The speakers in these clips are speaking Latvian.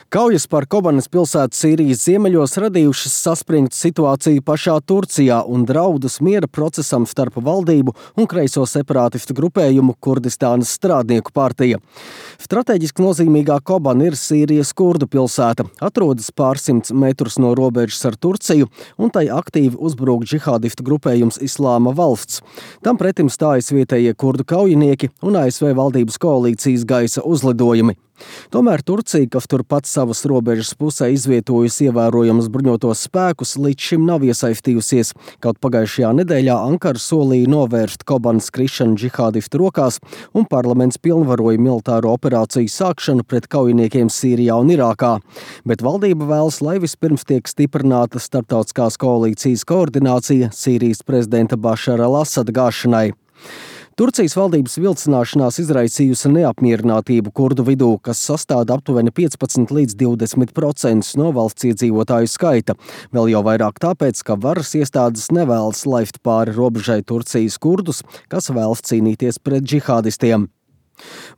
Kaujas par Kobanes pilsētu Sīrijas ziemeļos radījušas saspringtu situāciju pašā Turcijā un draudus miera procesam starp valdību un kreiso separātistu grupējumu Kurdistānas strādnieku partija. Strateģiski nozīmīgā Kobane ir Sīrijas kurdu pilsēta, atrodas pārsimts metrus no robežas ar Turciju, un tai aktīvi uzbrūk džihādistu grupējums Islāma valsts. Tam pretim stājas vietējie kurdu kaujinieki un ASV valdības koalīcijas gaisa uzlidojumi. Tomēr Turcija, kas turpat savas robežas pusē izvietojusi ievērojamas bruņotos spēkus, līdz šim nav iesaistījusies, kaut pagājušajā nedēļā Ankara solīja novērst Kobanes krišanu džihādistu rokās un parlaments pilnvaroja militāro operāciju sākšanu pret kaujiniekiem Sīrijā un Irākā. Bet valdība vēlas, lai vispirms tiek stiprināta starptautiskās koalīcijas koordinācija Sīrijas prezidenta Bašara al-Asada gāšanai. Turcijas valdības vilcināšanās izraisījusi neapmierinātību kurdu vidū, kas sastāda aptuveni 15 līdz 20% no valsts iedzīvotāju skaita. Vēl jau vairāk tāpēc, ka varas iestādes nevēlas laist pāri robežai Turcijas kurdus, kas vēlas cīnīties pret džihādistiem.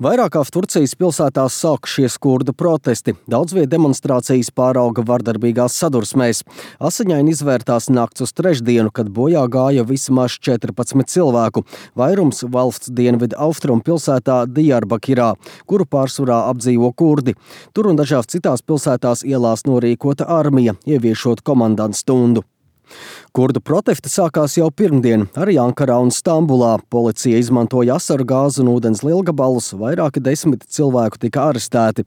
Vairākās Turcijas pilsētās sākušies kurdu protesti. Daudz viet demonstrācijas pārauga vardarbīgās sadursmēs. Asiņaini izvērtās nakts uz trešdienu, kad bojā gāja vismaz 14 cilvēku. Vairums valsts dienvidu austrumu pilsētā Diyarbakirā, kuru pārsvarā apdzīvo kurdi. Tur un dažās citās pilsētās ielās norīkota armija, ieviešot komandantu stundu. Kurdu protesti sākās jau pirmdien, arī Ankarā un Stambulā. Policija izmantoja asaru gāzi un ūdens lielgabalus, vairāki 10 cilvēku tika arestēti.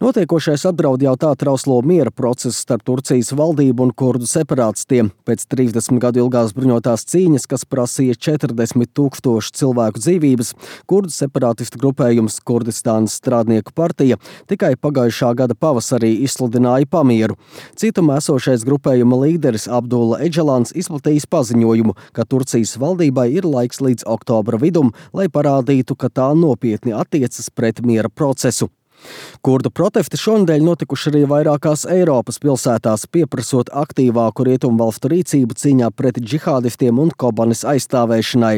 Notiekošais apdraud jau tā trauslo miera procesu starp Turcijas valdību un kurdu separātistiem. Pēc 30 gadu ilgās bruņotās cīņas, kas prasīja 40,000 cilvēku dzīvības, kurdu separātistu grupējums Kurdistānas strādnieku partija tikai pagājušā gada pavasarī izsludināja pamieru. Cietumā esošais grupējuma līderis Abdulla Eģelāns izplatījis paziņojumu, ka Turcijas valdībai ir laiks līdz oktobra vidum, lai parādītu, ka tā nopietni attiecas pret miera procesu. Kurdu protesti šonedēļ notikuši arī vairākās Eiropas pilsētās, pieprasot aktīvāku rietumvalstu rīcību cīņā pret džihādistiem un Kobanes aizstāvēšanai.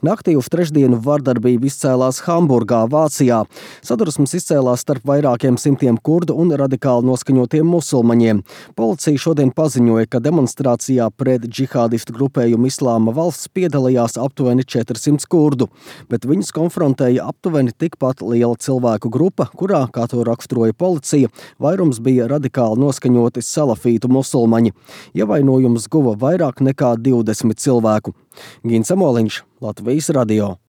Naktī uz trešdienu vardarbība izcēlās Hamburgā, Vācijā. Sadursmes izcēlās starp vairākiem simtiem kurdu un radikāli noskaņotiem musulmaņiem. Policija šodien paziņoja, ka demonstrācijā pret džihādistu grupējumu Islāma valsts piedalījās aptuveni 400 kurdu, bet viņus konfrontēja aptuveni tikpat liela cilvēku grupa, kurā, kā to raksturoja policija, vairums bija radikāli noskaņoti salafītu musulmaņi. Ievainojumus guva vairāk nekā 20 cilvēku. Gins Amoliņš, Latvijas radio.